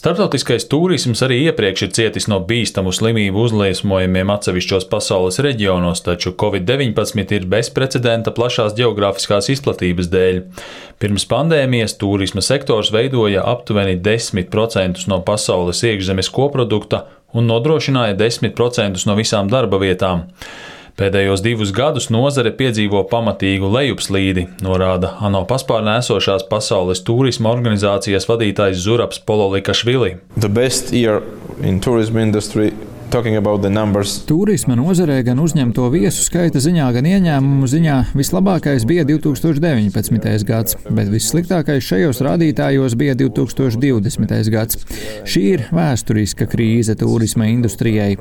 Starptautiskais tūrisms arī iepriekš ir cietis no bīstamu slimību uzliesmojumiem atsevišķos pasaules reģionos, taču Covid-19 ir bezprecedenta plašās ģeogrāfiskās izplatības dēļ. Pirms pandēmijas tūrisma sektors veidoja aptuveni 10% no pasaules iekšzemes koprodukta un nodrošināja 10% no visām darba vietām. Pēdējos 2 gadus nozare piedzīvo pamatīgu lejupslīdi, norāda ANO paspārnē esošās Pasaules tūrisma organizācijas vadītājs Zurabs Pololikašvili. Tūrisma nozarē gan uzņemto viesu skaita ziņā, gan ieņēmumu ziņā vislabākais bija 2019. gads, bet vissliktākais šajos rādītājos bija 2020. gads. Šī ir vēsturiska krīze tūrisma industrijai.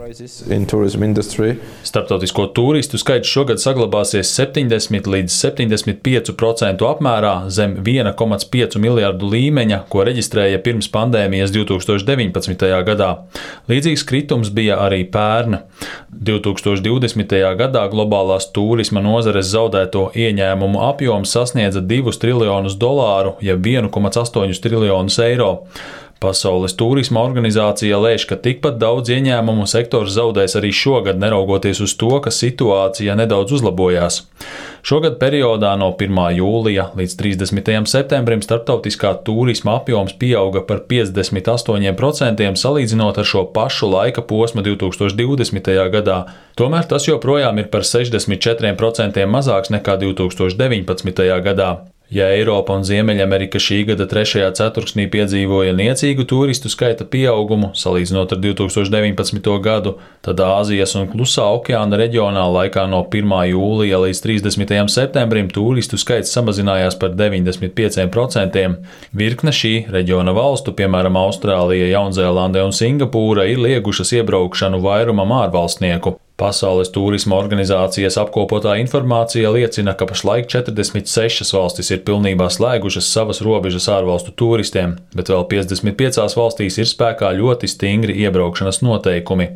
Starptautisko tūristu skaits šogad saglabāsies 70 līdz 75% apmērā zem 1,5 miljardu līmeņa, ko reģistrēja pirms pandēmijas 2019. gadā. Līdzīgs kritums bija arī pērn. 2020. gadā globālās tūrisma nozares zaudēto ieņēmumu apjoms sasniedza $2 triljonus, jeb 1,8 triljonus eiro. Pasaules tūrisma organizācija lēš, ka tikpat daudz ieņēmumu sektors zaudēs arī šogad, neraugoties uz to, ka situācija nedaudz uzlabojās. Šogad periodā no 1. jūlija līdz 30. septembrim starptautiskā tūrisma apjoms pieauga par 58% salīdzinot ar šo pašu laika posmu 2020. gadā. Tomēr tas joprojām ir par 64% mazāks nekā 2019. gadā. Ja Eiropa un Ziemeļamerika šī gada 3. ceturksnī piedzīvoja niecīgu turistu skaita pieaugumu, salīdzinot ar 2019. gadu, tad Āzijas un Klusā okeāna reģionā laikā no 1. jūlija līdz 30. septembrim turistu skaits samazinājās par 95%. Virkne šī reģiona valstu, piemēram Austrālija, Jaunzēlande un Singapūra, ir liegušas iebraukšanu vairumam ārvalstnieku. Pasaules tūrisma organizācijas apkopotā informācija liecina, ka pašlaik 46 valstis ir pilnībā slēgušas savas robežas ārvalstu turistiem, bet vēl 55 valstīs ir spēkā ļoti stingri iebraukšanas noteikumi.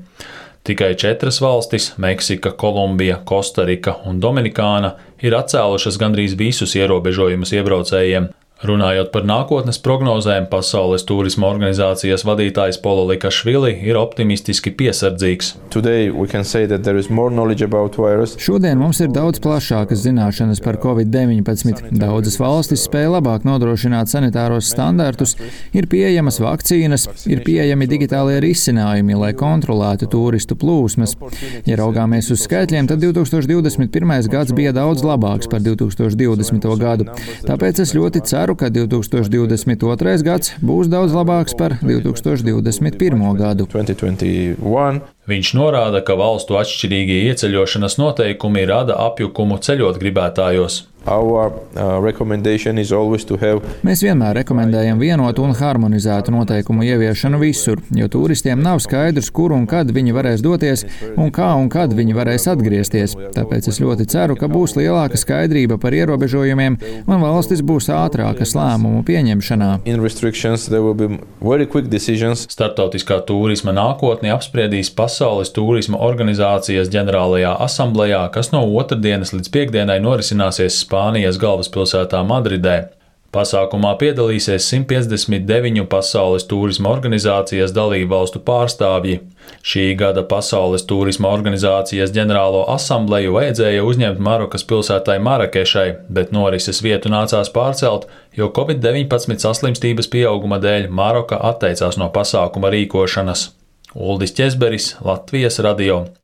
Tikai 4 valstis – Meksika, Kolumbija, Kostarika un Dominikāna – ir atcēlušas gandrīz visus ierobežojumus iebraucējiem. Runājot par nākotnes prognozēm, Pasaules tūrisma organizācijas vadītājs Pololikašvili ir optimistiski piesardzīgs. Šodien mums ir daudz plašākas zināšanas par Covid-19. Daudzas valstis spēj labāk nodrošināt sanitāros standartus, ir pieejamas vakcīnas, ir pieejami digitālie risinājumi, lai kontrolētu turistu plūsmas. Ja raugāmies uz skaitļiem, tad 2021. gads bija daudz labāks par 2020. gadu. Tāpēc es ļoti ceru, ka 2022. gads būs daudz labāks par 2021. gadu. Viņš norāda, ka valstu atšķirīgie ieceļošanas noteikumi rada apjukumu ceļot gribētājos. Mēs vienmēr rekomendējam vienotu un harmonizētu noteikumu ieviešanu visur, jo turistiem nav skaidrs, kur un kad viņi varēs doties un kā un kad viņi varēs atgriezties. Tāpēc es ļoti ceru, ka būs lielāka skaidrība par ierobežojumiem un valstis būs ātrākas lēmumu pieņemšanā. Starptautiskā tūrisma nākotni apspriedīs Pasaules tūrisma organizācijas ģenerālajā asamblejā, kas no otrdienas līdz piekdienai norisināsies Spānijas galvaspilsētā Madridē. Pasākumā piedalīsies 159 Pasaules tūrisma organizācijas dalībvalstu pārstāvji. Šī gada Pasaules tūrisma organizācijas ģenerālo asambleju vajadzēja uzņemt Marokas pilsētai Marakešai, bet norises vietu nācās pārcelt, jo Covid-19 saslimstības pieauguma dēļ Maroka atteicās no pasākuma rīkošanas. Uldis Ķezberis, Latvijas radio.